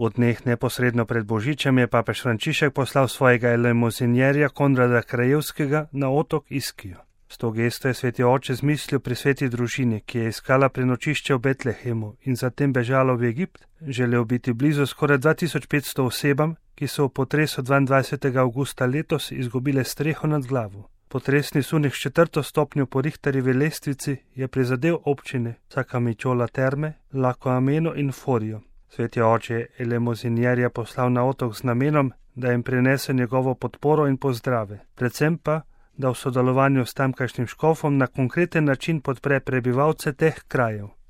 V dneh neposredno pred Božičem je papež Frančišek poslal svojega elemozinjerja Konrada Krajevskega na otok Iskijo. S to gesto je sveti oče zmislil pri sveti družini, ki je iskala prenočišče v Betlehemu in zatem bežala v Egipt, želel biti blizu skoraj 2500 osebam, ki so v potresu 22. avgusta letos izgubile streho nad glavo. Potresni sunek s 4. stopnjo po Richterjevi lestvici je prizadel občine Sakamičola Terme, Lako Ameno in Forijo. Sveti oče je elemozinjerja poslal na otok z namenom, da jim prinese njegovo podporo in pozdrave, predvsem pa, da v sodelovanju s tamkajšnjim škofom na konkreten način podpre prebivalce teh krajev.